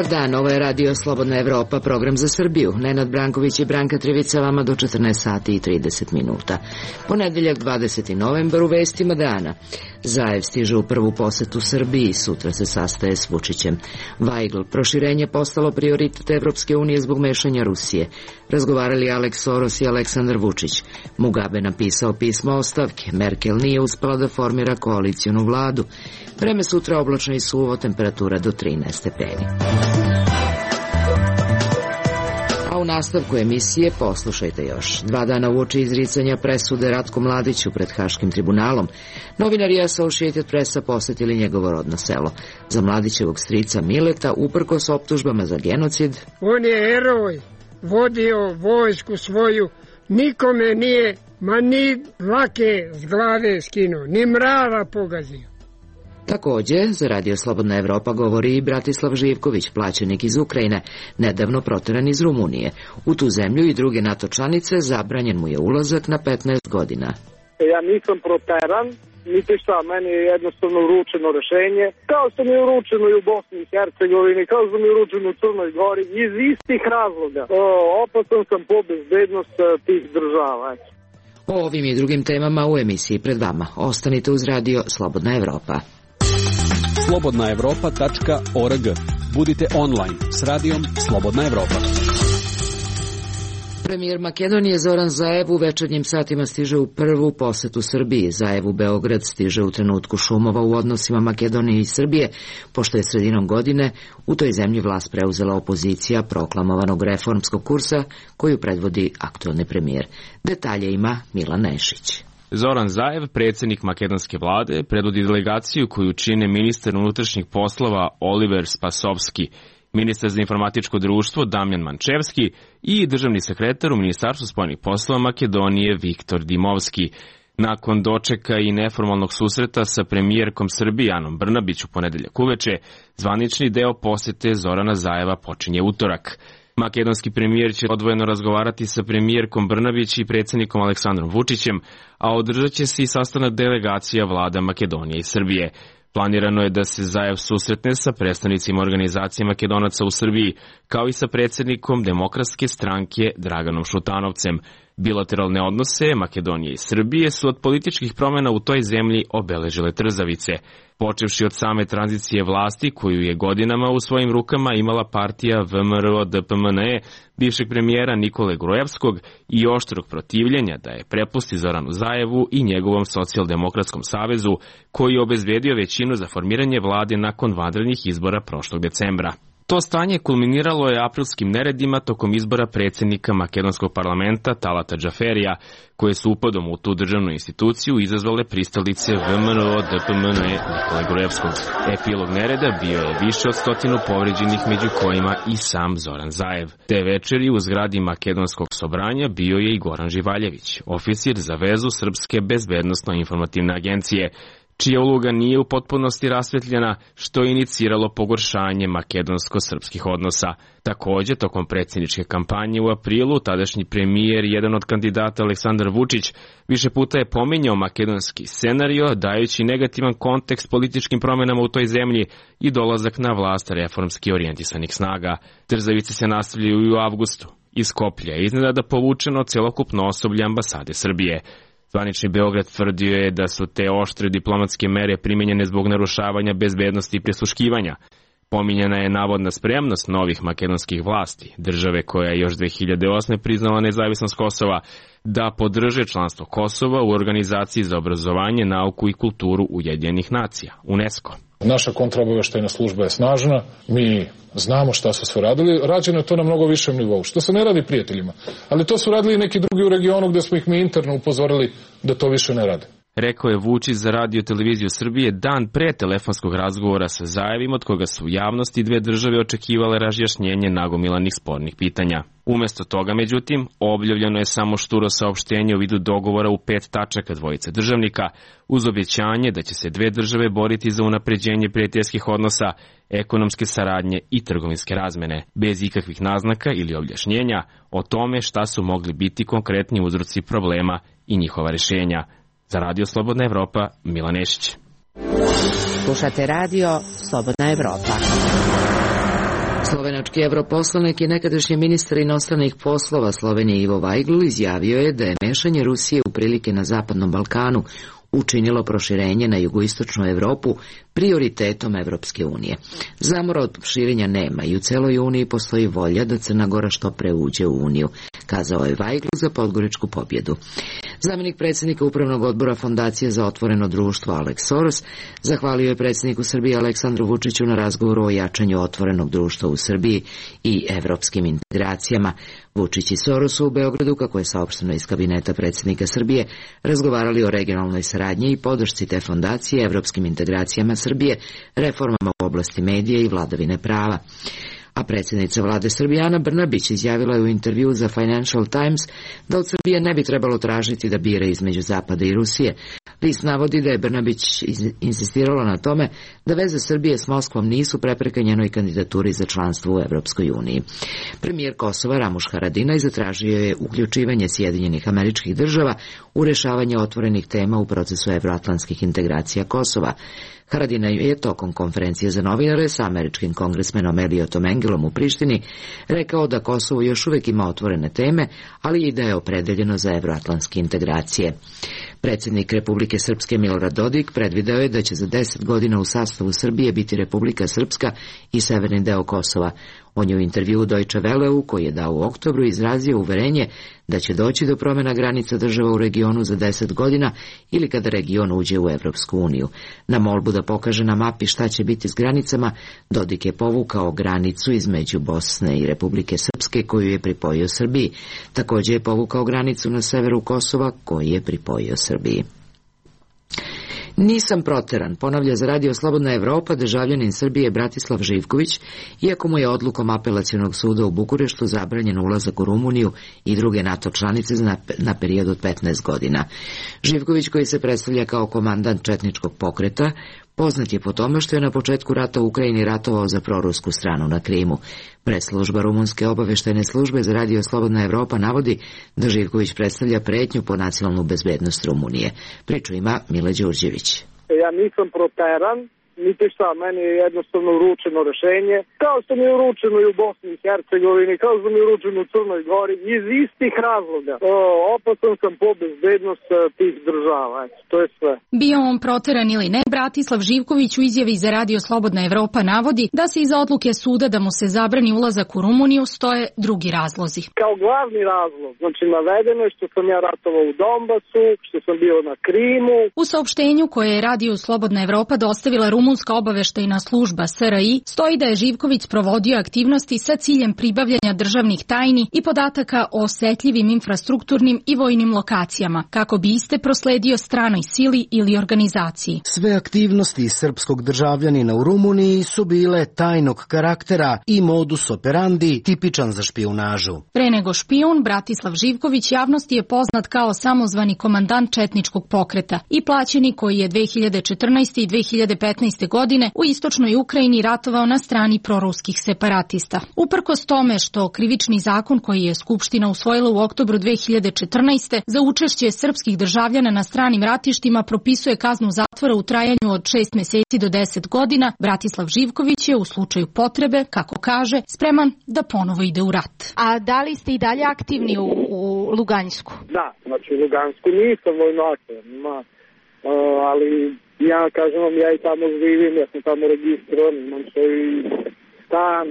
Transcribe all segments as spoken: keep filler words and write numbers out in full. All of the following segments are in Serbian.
Dobar dan, ovo je Radio Slobodna Evropa, program za Srbiju. Nenad Branković i Branka Trivica vama do četrnaest sati i trideset minuta. Ponedeljak dvadeseti novembar u vestima dana. Zaev stiže u prvu posetu Srbiji, sutra se sastaje s Vučićem. Weigl, proširenje postalo prioritet Evropske unije zbog mešanja Rusije. Razgovarali Alex Soros i Aleksandar Vučić. Mugabe napisao pismo ostavke. Merkel nije uspela da formira koalicijonu vladu. Vreme sutra oblačno i suvo, temperatura do trinaest stepeni. A u nastavku emisije poslušajte još. Dva dana uoči izricanja presude Ratku Mladiću pred Haškim tribunalom, novinari Associated Pressa posetili njegovo rodno selo. Za Mladićevog strica Mileta, uprkos optužbama za genocid, on je heroj, vodio vojsku svoju, nikome nije, ma ni dlake s glave skinuo, ni mrava pogazio. Takođe, za Radio Slobodna Evropa govori i Bratislav Živković, plaćenik iz Ukrajine, nedavno proteran iz Rumunije. U tu zemlju i druge NATO članice zabranjen mu je ulazak na petnaest godina. Ja nisam proteran, niti šta, meni je jednostavno uručeno rešenje, kao što mi je uručeno i u Bosni i Hercegovini, kao što mi je uručeno u Crnoj Gori, iz istih razloga. O, opasan sam po bezbednost tih država. O ovim i drugim temama u emisiji pred vama. Ostanite uz Radio Slobodna Evropa. slobodna evropa tačka org. Budite online s radijom Slobodna Evropa. Premijer Makedonije Zoran Zaev u večernjim satima stiže u prvu posetu Srbiji. Zaev u Beograd stiže u trenutku šumova u odnosima Makedonije i Srbije, pošto je sredinom godine u toj zemlji vlast preuzela opozicija proklamovanog reformskog kursa koju predvodi aktuelni premijer. Detalje ima Milan Nešić. Zoran Zaev, predsjednik makedonske vlade, predvodi delegaciju koju čine ministar unutrašnjih poslova Oliver Spasovski, ministar za informatičko društvo Damjan Mančevski i državni sekretar u Ministarstvu spoljnih poslova Makedonije Viktor Dimovski. Nakon dočeka i neformalnog susreta sa premijerkom Srbije Anom Brnabić u ponedeljak uveče, zvanični deo posete Zorana Zaeva počinje utorak. Makedonski premijer će odvojeno razgovarati sa premijerkom Brnabić i predsjednikom Aleksandrom Vučićem, a održat će se i sastanak delegacija vlada Makedonije i Srbije. Planirano je da se Zaev susretne sa predstavnicima organizacije Makedonaca u Srbiji, kao i sa predsjednikom Demokratske stranke Draganom Šutanovcem. Bilateralne odnose Makedonije i Srbije su od političkih promjena u toj zemlji obeležile trzavice. Počevši od same tranzicije vlasti koju je godinama u svojim rukama imala partija V M R O D P M N E bivšeg premijera Nikole Grojevskog i oštrog protivljenja da je prepusti Zoranu Zaevu i njegovom socijaldemokratskom savezu koji je obezbedio većinu za formiranje vlade nakon vanrednih izbora prošlog decembra. To stanje kulminiralo je aprilskim neredima tokom izbora predsjednika makedonskog parlamenta Talata Džaferija, koje su upadom u tu državnu instituciju izazvale pristalice V M R O D P M N E Nikole Grojevskog. Epilog nereda bio je više od stotinu povređenih, među kojima i sam Zoran Zaev. Te večeri u zgradi makedonskog sobranja bio je i Goran Živaljević, oficir za vezu Srpske bezbednosno-informativne agencije, čija uloga nije u potpunosti rasvetljena, što je iniciralo pogoršanje makedonsko-srpskih odnosa. Također, tokom predsjedničke kampanje u aprilu, tadašnji premijer i jedan od kandidata Aleksandar Vučić više puta je pominjao makedonski scenario, dajući negativan kontekst političkim promjenama u toj zemlji i dolazak na vlast reformski orijentisanih snaga. Trzavice se nastavljaju i u avgustu. Iz Skoplja je iznenada povučeno celokupno osoblje ambasade Srbije. Zvanični Beograd tvrdio je da su te oštre diplomatske mere primijenjene zbog narušavanja bezbednosti i prisluškivanja. Pominjena je navodna spremnost novih makedonskih vlasti, države koja je još dve hiljade osme priznala nezavisnost Kosova, da podrže članstvo Kosova u Organizaciji za obrazovanje, nauku i kulturu Ujedinjenih nacija, UNESCO. Naša kontraobaveštajna služba je snažna, mi znamo šta su sve radili, rađeno je to na mnogo višem nivou, što se ne radi prijateljima, ali to su radili i neki drugi u regionu gde smo ih mi interno upozorili da to više ne rade. Rekao je Vučić za Radio televiziju Srbije dan pre telefonskog razgovora sa Zaevim, od koga su u javnosti dve države očekivale razjašnjenje nagomilanih spornih pitanja. Umesto toga, međutim, objavljeno je samo šturo saopštenje u vidu dogovora u pet tačaka dvojice državnika, uz objećanje da će se dve države boriti za unapređenje prijateljskih odnosa, ekonomske saradnje i trgovinske razmene, bez ikakvih naznaka ili objašnjenja o tome šta su mogli biti konkretni uzroci problema i njihova rješenja. Za Radio Slobodna Evropa, Milan Nešić. Slušate Radio Slobodna Evropa. Slovenački europoslanik i nekadašnji ministar inostranih poslova Slovenije Ivo Vajgl izjavio je da je mešanje Rusije u prilike na Zapadnom Balkanu učinilo proširenje na jugoistočnu Evropu prioritetom Evropske unije. Zamora od širenja nema i u celoj Uniji postoji volja da Crna Gora što pre uđe u Uniju, kazao je Vajgl za Podgoričku pobjedu. Zamenik predsjednika Upravnog odbora Fondacije za otvoreno društvo Alex Soros zahvalio je predsjedniku Srbije Aleksandru Vučiću na razgovoru o jačanju otvorenog društva u Srbiji i evropskim integracijama. Vučić i Soros u Beogradu, kako je saopšteno iz kabineta predsjednika Srbije, razgovarali o regionalnoj saradnji i podršci te fondacije, evropskim integracijama Srbije, reformama u oblasti medija i vladavine prava. A predsjednica vlade Srbije Ana Brnabić izjavila je u intervju za Financial Times da od Srbije ne bi trebalo tražiti da bira između Zapada i Rusije. List navodi da je Brnabić insistirala na tome da veze Srbije s Moskvom nisu prepreka njenoj kandidaturi za članstvo u Evropskoj uniji. Premijer Kosova Ramuš Haradinaj zatražio je uključivanje Sjedinjenih Američkih Država u rešavanje otvorenih tema u procesu evroatlantskih integracija Kosova. Haradinaj je tokom konferencije za novinare sa američkim kongresmenom Eliotom Engelom u Prištini rekao da Kosovo još uvijek ima otvorene teme, ali i da je opredeljeno za evroatlantske integracije. Predsjednik Republike Srpske Milorad Dodik predvideo je da će za deset godina u sastavu Srbije biti Republika Srpska i severni deo Kosova. On je u intervjuu Deutsche Welleu, koji je dao u oktobru, izrazio uverenje da će doći do promjena granica država u regionu za deset godina ili kada region uđe u Evropsku uniju. Na molbu da pokaže na mapi šta će biti s granicama, Dodik je povukao granicu između Bosne i Republike Srpske koju je pripojio Srbiji. Također je povukao granicu na severu Kosova koju je pripojio Srbiji. Nisam proteran, ponavlja za Radio Slobodna Evropa državljanin Srbije Bratislav Živković, iako mu je odlukom apelacionog suda u Bukureštu zabranjen ulazak u Rumuniju i druge NATO članice na, na period od petnaest godina. Živković, koji se predstavlja kao komandant četničkog pokreta, poznat je po tome što je na početku rata u Ukrajini ratovao za prorusku stranu na Krimu. Preslužba Rumunske obaveštajne službe za Radio Slobodna Evropa navodi da Živković predstavlja pretnju po nacionalnu bezbednost Rumunije. Priču ima Mile Đurđević. Ja nisam proteran, niti šta, meni je jednostavno uručeno rešenje, kao što mi je uručeno i u Bosni i Hercegovini, kao što mi je uručeno u Crnoj Gori, iz istih razloga. O, opasan sam po bezbednost tih država, to je sve. Bio on proteran ili ne, Bratislav Živković u izjavi za Radio Slobodna Evropa navodi da se iza odluke suda da mu se zabrani ulazak u Rumuniju stoje drugi razlozi. Kao glavni razlog, znači navedeno je što sam ja ratovao u Donbasu, što sam bio na Krimu. U saopštenju koje je Radio Slobodna Evropa dostavila Rumunska obaveštajna služba S R I stoji da je Živković provodio aktivnosti sa ciljem pribavljanja državnih tajni i podataka o osetljivim infrastrukturnim i vojnim lokacijama, kako bi iste prosledio stranoj sili ili organizaciji. Sve aktivnosti srpskog državljanina u Rumuniji su bile tajnog karaktera i modus operandi tipičan za špijunažu. Pre nego špijun, Bratislav Živković javnosti je poznat kao samozvani komandant četničkog pokreta i plaćenik koji je dve hiljade četrnaeste. i dve hiljade petnaeste. godine u istočnoj Ukrajini ratovao na strani proruskih separatista. Uprkos tome što krivični zakon koji je Skupština usvojila u oktobru dve hiljade četrnaeste. za učešće srpskih državljana na stranim ratištima propisuje kaznu zatvora u trajanju od šest meseci do deset godina, Bratislav Živković je u slučaju potrebe, kako kaže, spreman da ponovo ide u rat. A da li ste i dalje aktivni u, u Lugansku? Da, znači u Lugansku nisam vojno aktivan, ali ja kažem vam, ja i tamo živim, ja sam tamo registrovan, imam svoj stan,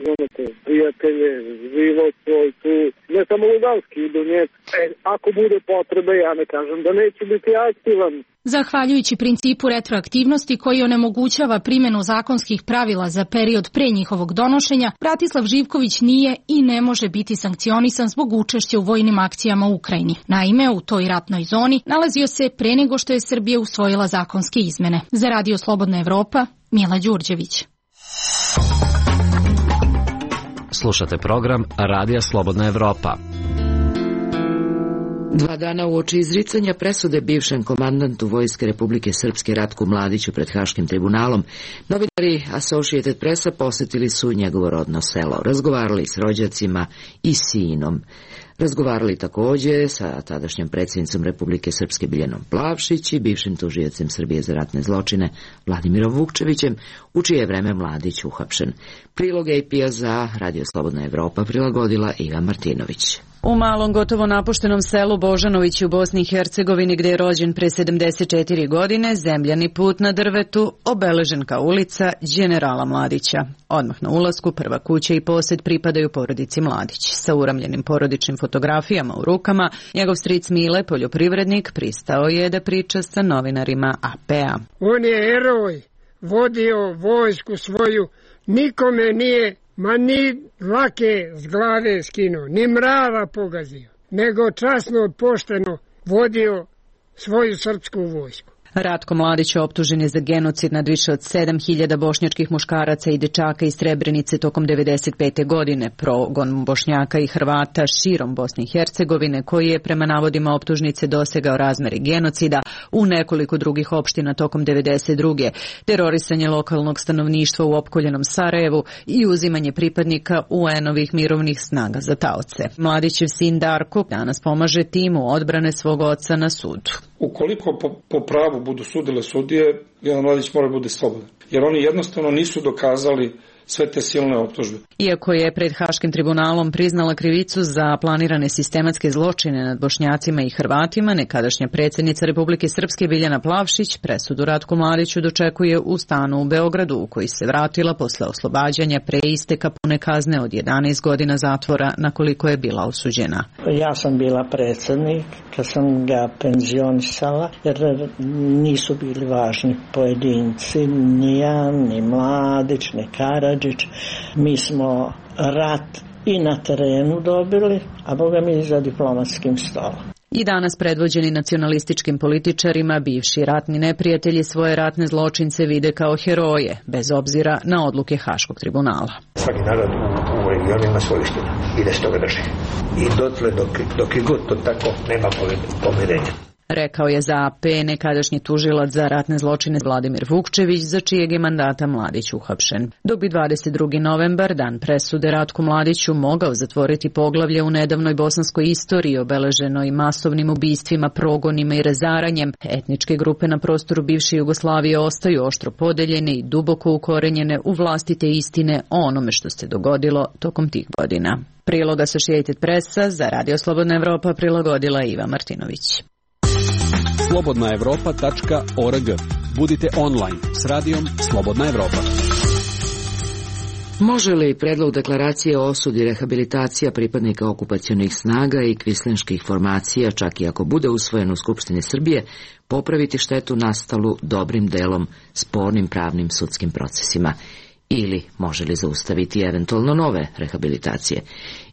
znate, prijatelje, život svoj tu, ne samo Luganski, idu nje, e, ako bude potrebe, ja ne kažem da neću biti aktivan. Zahvaljujući principu retroaktivnosti koji onemogućava primjenu zakonskih pravila za period pre njihovog donošenja, Bratislav Živković nije i ne može biti sankcionisan zbog učešća u vojnim akcijama u Ukrajini. Naime, u toj ratnoj zoni nalazio se pre nego što je Srbija usvojila zakonske izmene. Za Radio Slobodna Evropa, Mila Đurđević. Slušate program Radija Slobodna Evropa. Dva dana uoči izricanja presude bivšem komandantu Vojske Republike Srpske Ratku Mladiću pred Haškim tribunalom, novinari Associated Pressa posetili su njegovo rodno selo, razgovarali s rođacima i sinom. Razgovarali takođe sa tadašnjom predsjednicom Republike Srpske Biljanom Plavšić i bivšim tužiocem Srbije za ratne zločine Vladimirom Vukčevićem, u čije vreme Mladić uhapšen. Prilog A P-a za Radio Slobodna Evropa prilagodila Iva Martinović. U malom, gotovo napuštenom selu Božanovići u Bosni i Hercegovini, gde je rođen pre sedamdeset četiri godine, zemljani put na drvetu, obeležen kao ulica Đenerala Mladića. Odmah na ulasku prva kuća i posed pripadaju porodici Mladić. Sa uramljenim porodičnim fotografijama u rukama, njegov stric Mile, poljoprivrednik, pristao je da priča sa novinarima A P-a. On je heroj, vodio vojsku svoju, nikome nije ma ni lake s glave skinuo, ni mrava pogazio, nego časno pošteno vodio svoju srpsku vojsku. Ratko Mladić optužen je za genocid nad više od sedam hiljada bošnjačkih muškaraca i dečaka iz Srebrenice tokom devedeset pete godine, progon Bošnjaka i Hrvata širom Bosne i Hercegovine, koji je prema navodima optužnice dosegao razmeri genocida u nekoliko drugih opština tokom devedeset druge, terorisanje lokalnog stanovništva u opkoljenom Sarajevu i uzimanje pripadnika U N-ovih mirovnih snaga za taoce. Mladićev sin Darko danas pomaže timu odbrane svog oca na sudu. Ukoliko po, po pravu budu sudile sudije, Milan Mladić mora bude slobodan. Jer oni jednostavno nisu dokazali sve te silne optužbe. Iako je pred Haškim tribunalom priznala krivicu za planirane sistematske zločine nad Bošnjacima i Hrvatima, nekadašnja predsjednica Republike Srpske Biljana Plavšić presudu Ratku Mladiću dočekuje u stanu u Beogradu, u koji se vratila posle oslobađanja pre isteka pune kazne od jedanaest godina zatvora na koliko je bila osuđena. Ja sam bila predsjednik kad sam ga penzionisala, jer nisu bili važni pojedinci, ni ja, ni Mladić, ni Karadžić. Mi smo rat i na terenu dobili, a boga mi i za diplomatskim stolom. I danas predvođeni nacionalističkim političarima, bivši ratni neprijatelji svoje ratne zločince vide kao heroje, bez obzira na odluke Haškog tribunala. Svaki narod u regionu ima svoju istinu i da se toga drži. I dotle dok, dok je god to tako, nema pomirenja. Rekao je za A P nekadašnji tužilac za ratne zločine Vladimir Vukčević, za čijeg je mandata Mladić uhapšen. Dok bi dvadeset drugi novembar, dan presude Ratku Mladiću, mogao zatvoriti poglavlje u nedavnoj bosanskoj istoriji obeleženoj masovnim ubistvima, progonima i razaranjem, etničke grupe na prostoru bivše Jugoslavije ostaju oštro podeljene i duboko ukorenjene u vlastite istine o onome što se dogodilo tokom tih godina. Prilog Associated Pressa za Radio Slobodna Evropa prilagodila Iva Martinović. slobodna evropa tačka org. Budite online s radijom Slobodna Evropa. Može li predlog deklaracije o osudi rehabilitacija pripadnika okupacionih snaga i kvislinških formacija, čak i ako bude usvojen u Skupštini Srbije, popraviti štetu nastalu dobrim delom spornim pravnim sudskim procesima? Ili može li zaustaviti eventualno nove rehabilitacije?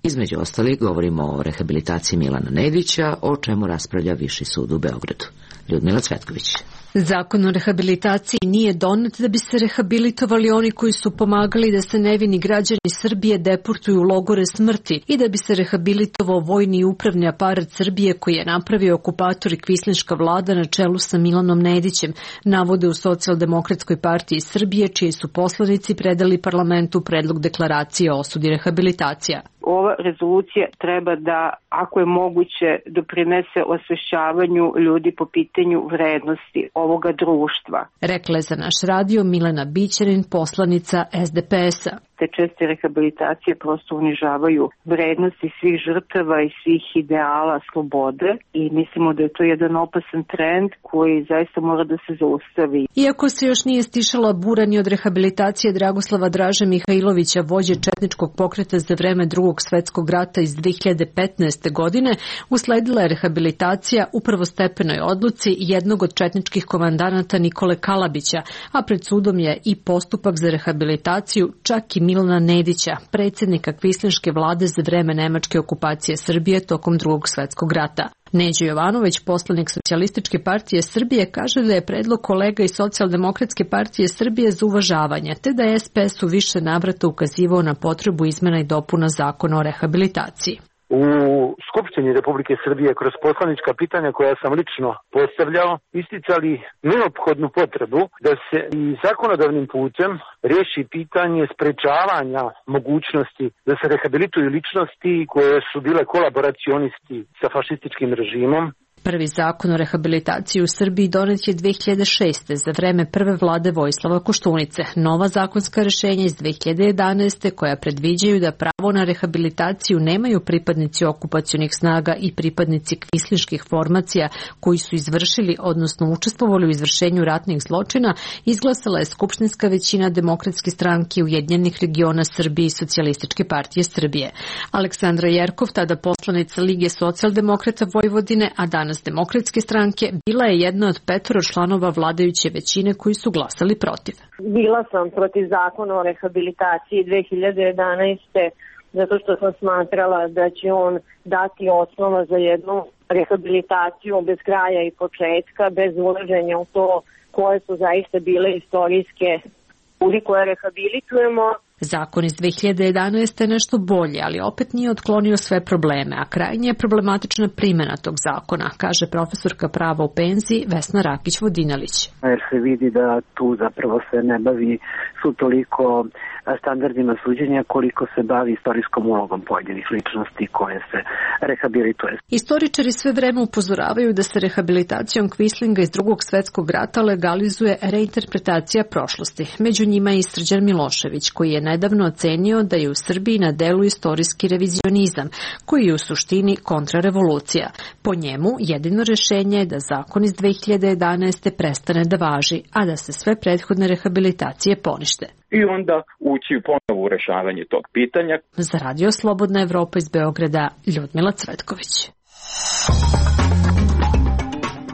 Između ostalih govorimo o rehabilitaciji Milana Nedića, o čemu raspravlja Viši sud u Beogradu. Ljudmila Cvetković. Zakon o rehabilitaciji nije donet da bi se rehabilitovali oni koji su pomagali da se nevini građani Srbije deportuju u logore smrti i da bi se rehabilitovao vojni i upravni aparat Srbije koji je napravio okupator i kvislinška vlada na čelu sa Milanom Nedićem, navode u Socijaldemokratskoj partiji Srbije, čiji su poslanici predali parlamentu predlog deklaracije o osudi rehabilitacija. Ova rezolucija treba da, ako je moguće, doprinese osvešćavanju ljudi po pitanju vrednosti ovoga društva. Rekla je za naš radio Milena Bićanin, poslanica S D P S-a. Te česte rehabilitacije prosto unižavaju vrednosti svih žrtava i svih ideala slobode i mislimo da je to jedan opasan trend koji zaista mora da se zaustavi. Iako se još nije stišala bura ni od rehabilitacije Dragoslava Draže Mihajlovića, vođe četničkog pokreta za vreme Drugog svetskog rata iz dve hiljade petnaeste. godine, usledila je rehabilitacija u prvostepenoj odluci jednog od četničkih komandanata Nikole Kalabića, a pred sudom je i postupak za rehabilitaciju čak i Milana Nedića, predsjednika kvislinške vlade za vreme nemačke okupacije Srbije tokom Drugog svetskog rata. Neđo Jovanović, poslanik Socijalističke partije Srbije, kaže da je predlog kolega iz Socijaldemokratske partije Srbije za uvažavanje, te da je S P S u više navrata ukazivao na potrebu izmena i dopuna zakona o rehabilitaciji. u Skupštini Republike Srbije kroz poslanička pitanja koja sam lično postavljao isticali neophodnu potrebu da se i zakonodavnim putem riješi pitanje sprečavanja mogućnosti da se rehabilituju ličnosti koje su bile kolaboracionisti sa fašističkim režimom. Prvi zakon o rehabilitaciji u Srbiji donet je dve hiljade šeste. za vreme prve vlade Vojislava Koštunice. Nova zakonska rešenja iz dve hiljade jedanaeste. koja predviđaju da pravo na rehabilitaciju nemaju pripadnici okupacionih snaga i pripadnici kvislinških formacija koji su izvršili, odnosno učestvovali u izvršenju ratnih zločina, izglasala je skupštinska većina Demokratske stranke Ujedinjenih regiona Srbije i Socijalističke partije Srbije. Aleksandra Jerkov, tada poslanica Lige socijaldemokrata Vojvodine, a danas Demokratske stranke, bila je jedna od petoro članova vladajuće većine koji su glasali protiv. Bila sam protiv zakona o rehabilitaciji dve hiljade jedanaeste. zato što sam smatrala da će on dati osnova za jednu rehabilitaciju bez kraja i početka, bez ulaženja u to koje su zaista bile istorijske ljudi koje rehabilitujemo. Zakon iz dve hiljade jedanaeste. je nešto bolje, ali opet nije otklonio sve probleme, a krajnje je problematična primjena tog zakona, kaže profesorka prava u penziji Vesna Rakić-Vodinalić. Jer se vidi da tu zapravo se ne bavi su toliko standardima suđenja koliko se bavi istorijskom ulogom pojedinih ličnosti koje se rehabilituje. Istoričari sve vreme upozoravaju da se rehabilitacijom kvislinga iz drugog svetskog rata legalizuje reinterpretacija prošlosti. Među njima je i Srđan Milošević, koji je nedavno ocenio da je u Srbiji na delu istorijski revizionizam, koji je u suštini kontrarevolucija. Po njemu, jedino rešenje je da zakon iz dve hiljade jedanaeste. prestane da važi, a da se sve prethodne rehabilitacije ponište. I onda ući ponovo u rešavanje tog pitanja. Za Radio Slobodna Evropa iz Beograda, Ljudmila Cvetković.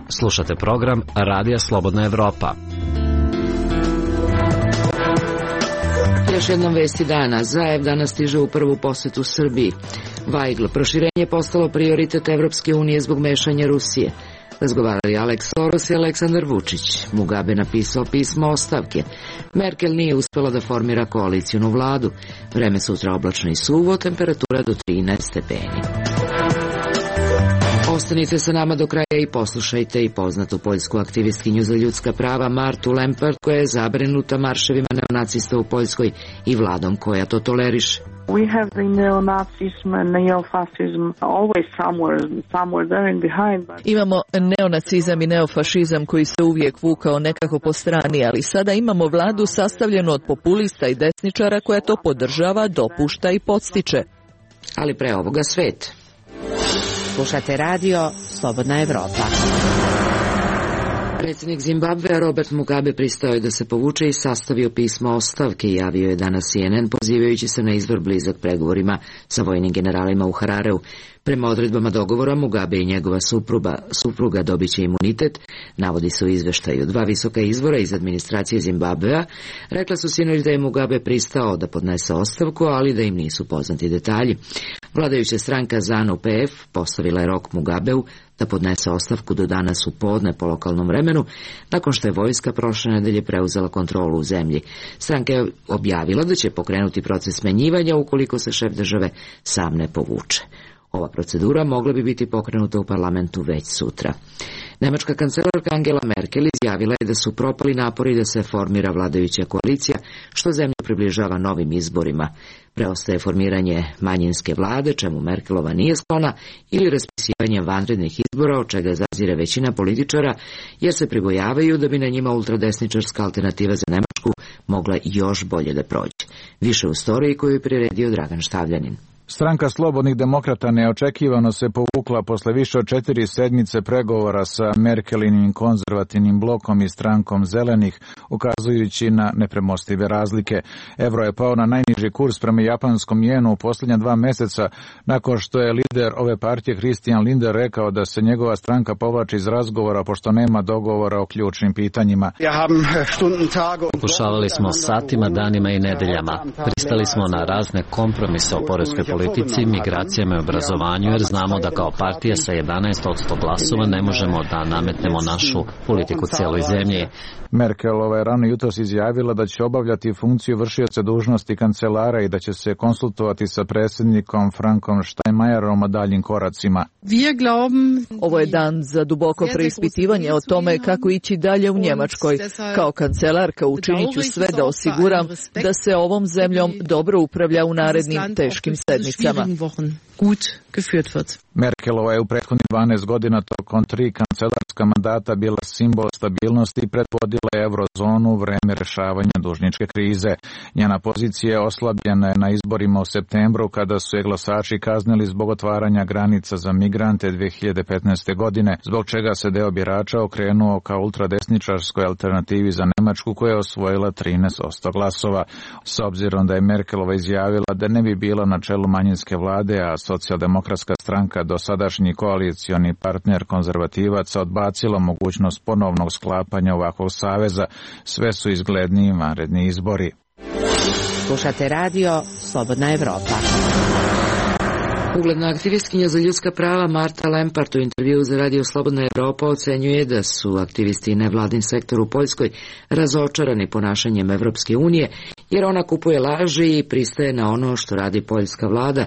Slušate program Radija Slobodna Evropa. Još jednom vesti dana. Zaev danas stiže u prvu posetu Srbiji. Vajgl, proširenje je postalo prioritet Evropske unije zbog mešanja Rusije. Razgovarali Aleks Soros i Aleksandar Vučić. Mugabe napisao pismo ostavke. Merkel nije uspela da formira koalicijnu vladu. Vreme sutra oblačno i suvo, temperatura do trinaest stepeni. Ostanite sa nama do kraja i poslušajte i poznatu poljsku aktivistkinju za ljudska prava Martu Lempart, koja je zabrinuta marševima neonacista u Poljskoj i vladom koja to toleriše. We have the neo-Nazism and neo-fascism always somewhere, somewhere there in behind. But... Imamo neonacizam i neofašizam koji se uvijek vukao nekako po strani, ali sada imamo vladu sastavljenu od populista i desničara koja to podržava, dopušta i podstiče. Ali pre ovoga svet. Slušate radio Slobodna Evropa. Predsjednik Zimbabvea Robert Mugabe pristao je da se povuče i sastavio pismo ostavke, javio je danas C N N pozivajući se na izvor blizak pregovorima sa vojnim generalima u Harareu. Prema odredbama dogovora Mugabe i njegova supruga, supruga dobit će imunitet, navodi se u izveštaju. Dva visoka izvora iz administracije Zimbabvea rekla su sinoć da je Mugabe pristao da podnese ostavku, ali da im nisu poznati detalji. Vladajuća stranka ZANU P F postavila je rok Mugabeu da podnese ostavku do danas u podne po lokalnom vremenu, nakon što je vojska prošle nedelje preuzela kontrolu u zemlji. Stranka je objavila da će pokrenuti proces smenjivanja ukoliko se šef države sam ne povuče. Ova procedura mogla bi biti pokrenuta u parlamentu već sutra. Nemačka kancelarka Angela Merkel izjavila je da su propali napori da se formira vladajuća koalicija, što zemlju približava novim izborima. Preostaje formiranje manjinske vlade, čemu Merkelova nije sklona, ili raspisivanje vanrednih izbora, od čega zazire većina političara, jer se pribojavaju da bi na njima ultradesničarska alternativa za Nemačku mogla još bolje da prođe. Više u storiji koju je priredio Dragan Štavljanin. Stranka Slobodnih demokrata neočekivano se povukla posle više od četiri sedmice pregovora sa Merkelinim konzervativnim blokom i strankom Zelenih, ukazujući na nepremostive razlike. Evro je pao na najniži kurs prema japanskom jenu u posljednja dva meseca, nakon što je lider ove partije Christian Lindner rekao da se njegova stranka povlači iz razgovora pošto nema dogovora o ključnim pitanjima. Pokušavali smo satima, danima i nedeljama. Pristali smo na razne kompromise o poreskoj politici, migracijama i obrazovanju, jer znamo da kao partija sa jedanaest posto glasova ne možemo da nametnemo našu politiku cijeloj zemlji. Merkelova je rano jutros izjavila da će obavljati funkciju vršioca dužnosti kancelara i da će se konsultovati sa predsjednikom Frankom Steinmeierom o daljim koracima. Ovo je dan za duboko preispitivanje o tome kako ići dalje u Njemačkoj. Kao kancelarka učinit ću sve da osiguram da se ovom zemljom dobro upravlja u narednim teškim sedmicama. Merkelova je u prethodnih dvanaest godina tokom tri kancelarska mandata bila simbol stabilnosti i predvodila je eurozonu u vreme rešavanja dužničke krize. Njena pozicija je oslabljena na izborima u septembru kada su je glasači kaznili zbog otvaranja granica za migrante dve hiljade petnaeste. godine, zbog čega se deo birača okrenuo ka ultradesničarskoj alternativi za Nemačku koja je osvojila trinaest posto glasova. S obzirom da je Merkelova izjavila da ne bi bila na čelu manjinske vlade, a socijaldemokratska stranka, dosadašnji koalicioni partner konzervativaca, odbacila mogućnost ponovnog sklapanja ovakvog saveza, sve su izgledniji vanredni izbori. Slušate radio Slobodna Evropa. Ugledna aktivistkinja za ljudska prava Marta Lempart u intervju za radio Slobodna Evropa ocenjuje da su aktivisti i nevladin sektor u Poljskoj razočarani ponašanjem Evropske unije, jer ona kupuje laži i pristaje na ono što radi poljska vlada,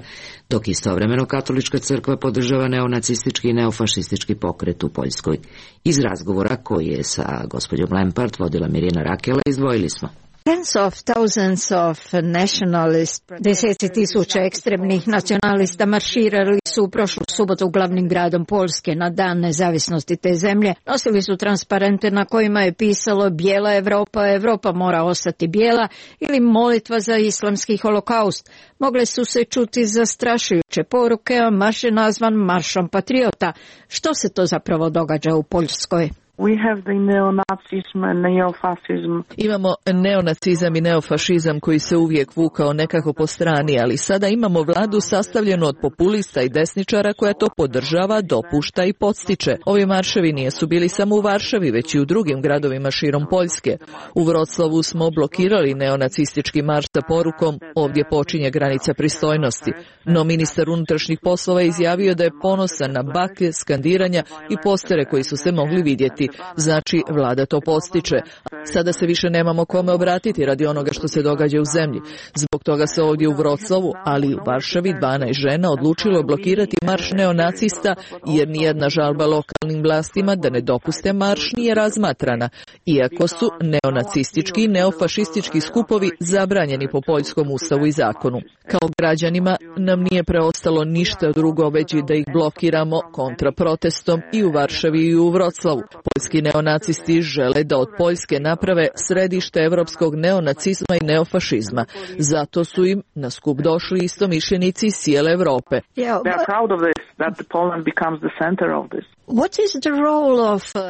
dok istovremeno katolička crkva podržava neonacistički i neofašistički pokret u Poljskoj. Iz razgovora koji je sa gospođom Lempart vodila Mirjana Rakela izdvojili smo. Tens of thousands of nationalists, deseci tisuća ekstremnih nacionalista marširali su u prošlu subotu glavnim gradom Poljske na dan nezavisnosti te zemlje. Nosili su transparente na kojima je pisalo bijela Evropa, Evropa mora ostati bijela ili molitva za islamski holokaust. Mogle su se čuti zastrašujuće poruke, a marš je nazvan Maršom patriota. Što se to zapravo događa u Poljskoj? We have the neonazism and neofascism. Imamo neonacizam i neofašizam koji se uvijek vukao nekako po strani, ali sada imamo vladu sastavljenu od populista i desničara koja to podržava, dopušta i podstiče. Ovi marševi nisu bili samo u Varšavi, već i u drugim gradovima širom Poljske. U Vroclavu smo blokirali neonacistički marš sa porukom "Ovdje počinje granica pristojnosti". No ministar unutrašnjih poslova je izjavio da je ponosan na baklje, skandiranja i postere koji su se mogli vidjeti. Znači, vlada to podstiče. Sada se više nemamo kome obratiti radi onoga što se događa u zemlji. Zbog toga se ovdje u Vroclavu, ali i u Varšavi, dvanaest žena odlučilo blokirati marš neonacista, jer nijedna žalba lokalnim vlastima da ne dopuste marš nije razmatrana, iako su neonacistički i neofašistički skupovi zabranjeni po poljskom ustavu i zakonu. Kao građanima nam nije preostalo ništa drugo već da ih blokiramo kontraprotestom i u Varšavi i u Vroclavu. Poljski neonacisti žele da od Poljske naprave središte evropskog neonacizma i neofašizma. Zato su im na skup došli istomišljenici iz cijele Evrope.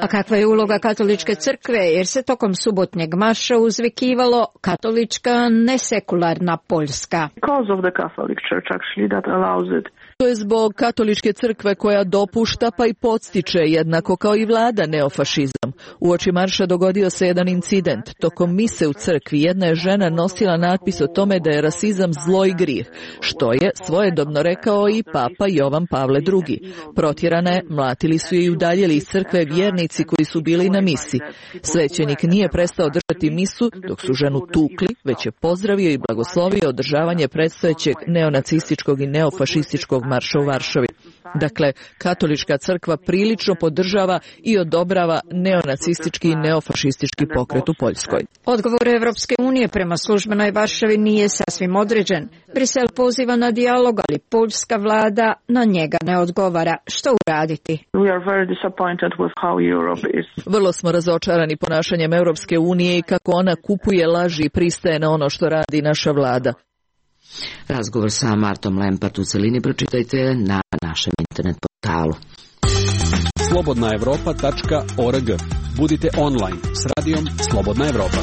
A kakva je uloga katoličke crkve, jer se tokom subotnjeg marša uzvikivalo katolička nesekularna Poljska. To je zbog katoličke crkve koja dopušta pa i podstiče, jednako kao i vlada, neofašizam. Uoči marša dogodio se jedan incident. Tokom mise u crkvi jedna je žena nosila natpis o tome da je rasizam zlo i grijeh, što je svojedobno rekao i papa Jovan Pavle drugi. Protjerana je, mlatili su je i udaljili iz crkve vjernici koji su bili na misi. Svećenik nije prestao držati misu dok su ženu tukli, već je pozdravio i blagoslovio održavanje predstojećeg neonacističkog i neofašističkog marša u Varšavi. Dakle, katolička crkva prilično podržava i odobrava neonacistički i neofašistički pokret u Poljskoj. Odgovor Evropske unije prema službenoj Varšavi nije sasvim određen. Brisel poziva na dijalog, ali poljska vlada na njega ne odgovara. Što uraditi? Vrlo smo razočarani ponašanjem Evropske unije i kako ona kupuje laži i pristaje na ono što radi naša vlada. Razgovor sa Martom Lempart u celini pročitajte na našem internet portalu. slobodna evropa tačka org. Budite online s radijom Slobodna Evropa.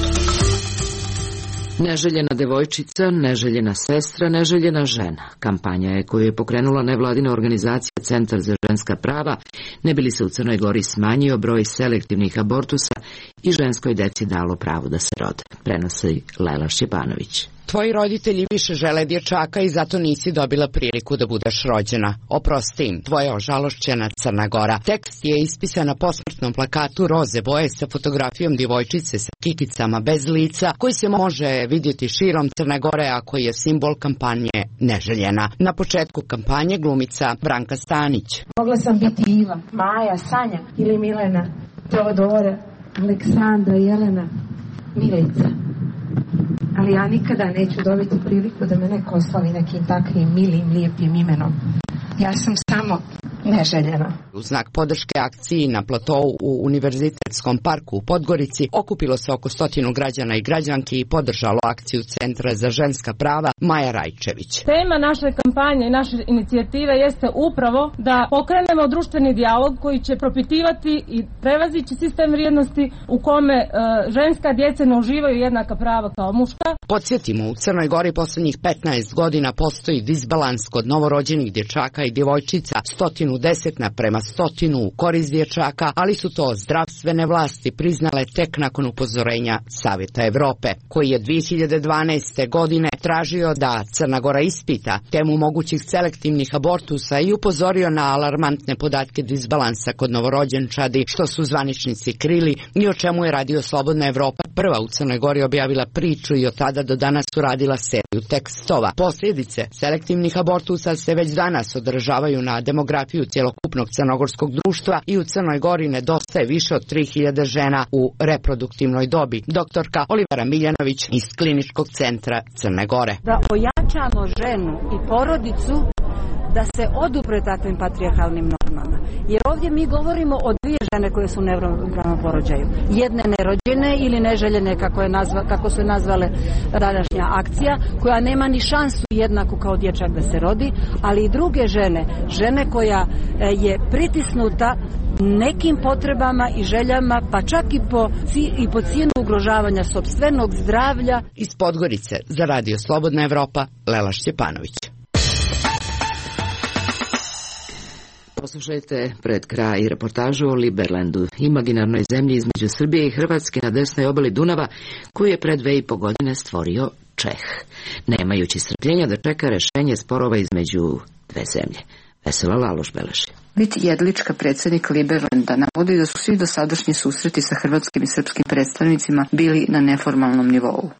Neželjena devojčica, neželjena sestra, neželjena žena. Kampanja je koju je pokrenula nevladina organizacija Centar za ženska prava, ne bi li se u Crnoj Gori smanjio broj selektivnih abortusa i ženskoj deci dalo pravo da se rode. Prenosi Lela Šćepanović. Tvoji roditelji više žele dječaka i zato nisi dobila priliku da budeš rođena. Oprosti im, tvoja ožalošćena Crna Gora. Tekst je ispisan na posmrtnom plakatu roze boje sa fotografijom djevojčice sa kikicama bez lica, koji se može vidjeti širom Crne Gore, a koji je simbol kampanje Neželjena. Na početku kampanje glumica Branka Stanić. Mogla sam biti Iva, Maja, Sanja ili Milena, Teodora, Aleksandra, Jelena, Milica. Ali ja nikada neću dobiti priliku da me neko oslavi nekim takvim milim, lijepim imenom. Ja sam samo neželjena. U znak podrške akciji na platovu u Univerzitetskom parku u Podgorici okupilo se oko stotinu građana i građanki i podržalo akciju Centra za ženska prava Maja Rajčević. Tema naše kampanje i naše inicijative jeste upravo da pokrenemo društveni dijalog koji će propitivati i prevazići sistem vrijednosti u kome e, ženska djeca ne uživaju jednaka prava kao muška. Podsjetimo, u Crnoj Gori posljednjih petnaest godina postoji disbalans kod novorođenih dječaka i djevojčica, stotinu deset naprema stotinu u korist dječaka, ali su to zdravstvene vlasti priznale tek nakon upozorenja Savjeta Evrope, koji je dvije hiljade dvanaeste. godine tražio da Crna Gora ispita temu mogućih selektivnih abortusa i upozorio na alarmantne podatke disbalansa kod novorođenčadi, što su zvaničnici krili i o čemu je Radio Slobodna Evropa, prva u Crnoj Gori, objavila priču i od tada do danas uradila seriju tekstova. Posljedice selektivnih abortusa se već danas odražavaju na demografiju cjelokupnog crnogorskog društva i u Crnoj Gori nedostaje više od tri hiljade žena u reproduktivnoj dobi. Doktorka Olivera Miljanović iz Kliničkog centra Crne Gore. Da ojačamo ženu i porodicu da se odupre takvim patrijarhalnim normama. Jer ovdje mi govorimo o dvije žene koje su u neravnopravnom porođaju. Jedne nerođene ili neželjene, kako, je nazva, kako su je nazvale današnja akcija, koja nema ni šansu jednaku kao dječak da se rodi, ali i druge žene, žene koja je pritisnuta nekim potrebama i željama, pa čak i po, i po cijenu ugrožavanja sopstvenog zdravlja. Iz Podgorice za Radio Slobodna Evropa, Lela Šćepanović. Poslušajte pred kraj reportažu o Liberlandu, imaginarnoj zemlji između Srbije i Hrvatske na desnoj obali Dunava, koju je pre dve i po godine stvorio Čeh, nemajući strpljenja da čeka rešenje sporova između dve zemlje. Vesela Laloš beleži. Vit Jedlička, predsjednik Liberlanda, navodi da su svi dosadašnji susreti sa hrvatskim i srpskim predstavnicima bili na neformalnom nivou.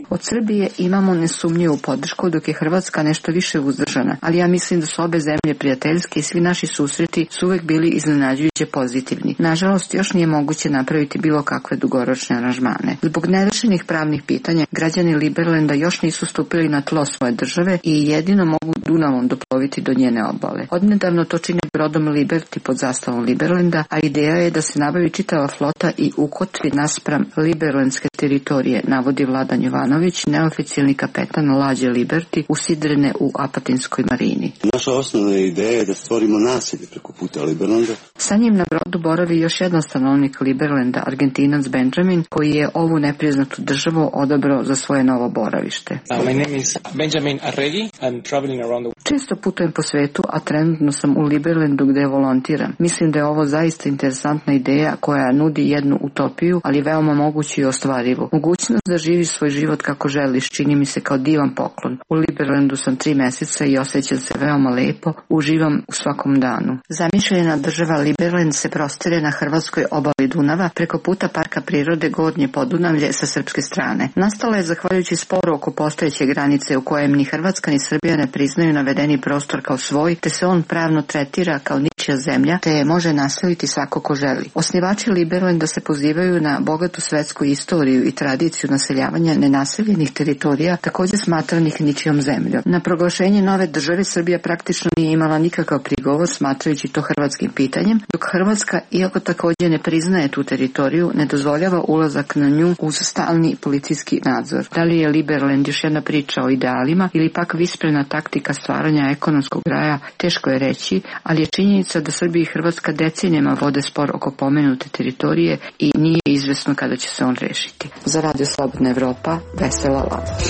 Od Srbije imamo nesumnjivu podršku, dok je Hrvatska nešto više uzdržana, ali ja mislim da su obe zemlje prijateljske i svi naši susreti su uvek bili iznenađujuće pozitivni. Nažalost, još nije moguće napraviti bilo kakve dugoročne aranžmane. Zbog nerešenih pravnih pitanja, građani Liberlanda još nisu stupili na tlo svoje države i jedino mogu Dunavom doploviti do njene obale. Odnedavno to čini brodom Liberty pod zastavom Liberlanda, a ideja je da se nabavi čitava flota i ukotvi naspram liberlandske teritorije, navodi Vladan Jovanović, neoficijalni kapetan lađe Liberty, usidrene u Apatinskoj marini. Naša osnovna ideja je da stvorimo naselje preko puta Liberlanda. Sa njim na brodu boravi još jedan stanovnik Liberlanda, Argentinac Benjamin, koji je ovu nepriznatu državu odabrao za svoje novo boravište. Uh, my name is Benjamin Arregi. I'm traveling around the... Često putujem po svetu, a trenutno sam u Liberlandu gde volontiram. Mislim da je ovo zaista interesantna ideja koja nudi jednu utopiju, ali veoma moguću i ostvarivu. Mogućnost da živiš svoj život kako želiš čini mi se kao divan poklon. U Liberlandu sam tri meseca i osjećam se veoma lepo, uživam u svakom danu. Zamišljena država Liberland se prostire na hrvatskoj obali Dunava preko puta Parka prirode Gornje Podunavlje sa srpske strane. Nastala je zahvaljujući sporu oko postojeće granice u kojem ni Hrvatska ni Srbija ne priznaju navedeni prostor kao svoj, te se on pravno tretira kao ničija zemlja, te je može nastaviti svako ko želi. Osnivači Liberlanda se pozivaju na bogatu svetsku istoriju i tradiciju naseljavanja nenaseljenih teritorija, također smatranih ničijom zemljom. Na proglašenje nove države Srbija praktično nije imala nikakav prigovor, smatrajući to hrvatskim pitanjem, dok Hrvatska, iako također ne priznaje tu teritoriju, ne dozvoljava ulazak na nju uz stalni policijski nadzor. Da li je Liberland još jedna priča o idealima ili pak visprena taktika stvaranja ekonomskog raja, teško je reći, ali je činjenica da Srbija i Hrvatska decenijama vode spor oko pomenute teritorije i nije izvesno kada će se on rešiti. Za Radio Slobodna Evropa, Vesela Laloš.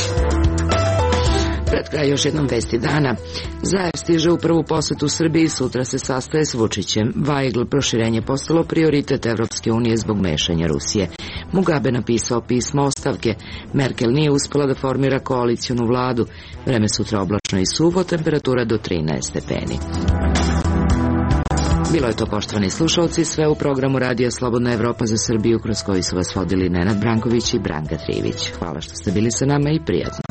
Pred kraj još jednom vesti dana. Zajev stiže u prvu posetu Srbiji, sutra se sastaje s Vučićem. Vajgl, proširenje postalo prioritet Evropske unije zbog mešanja Rusije. Mugabe napisao pismo ostavke. Merkel nije uspela da formira koalicijonu vladu. Vreme sutra oblačno i suvo, temperatura do trinaest stepeni. Bilo je to, poštovani slušalci, sve u programu Radija Slobodna Evropa za Srbiju, kroz koji su vas vodili Nenad Branković i Branka Trivić. Hvala što ste bili sa nama i prijatno.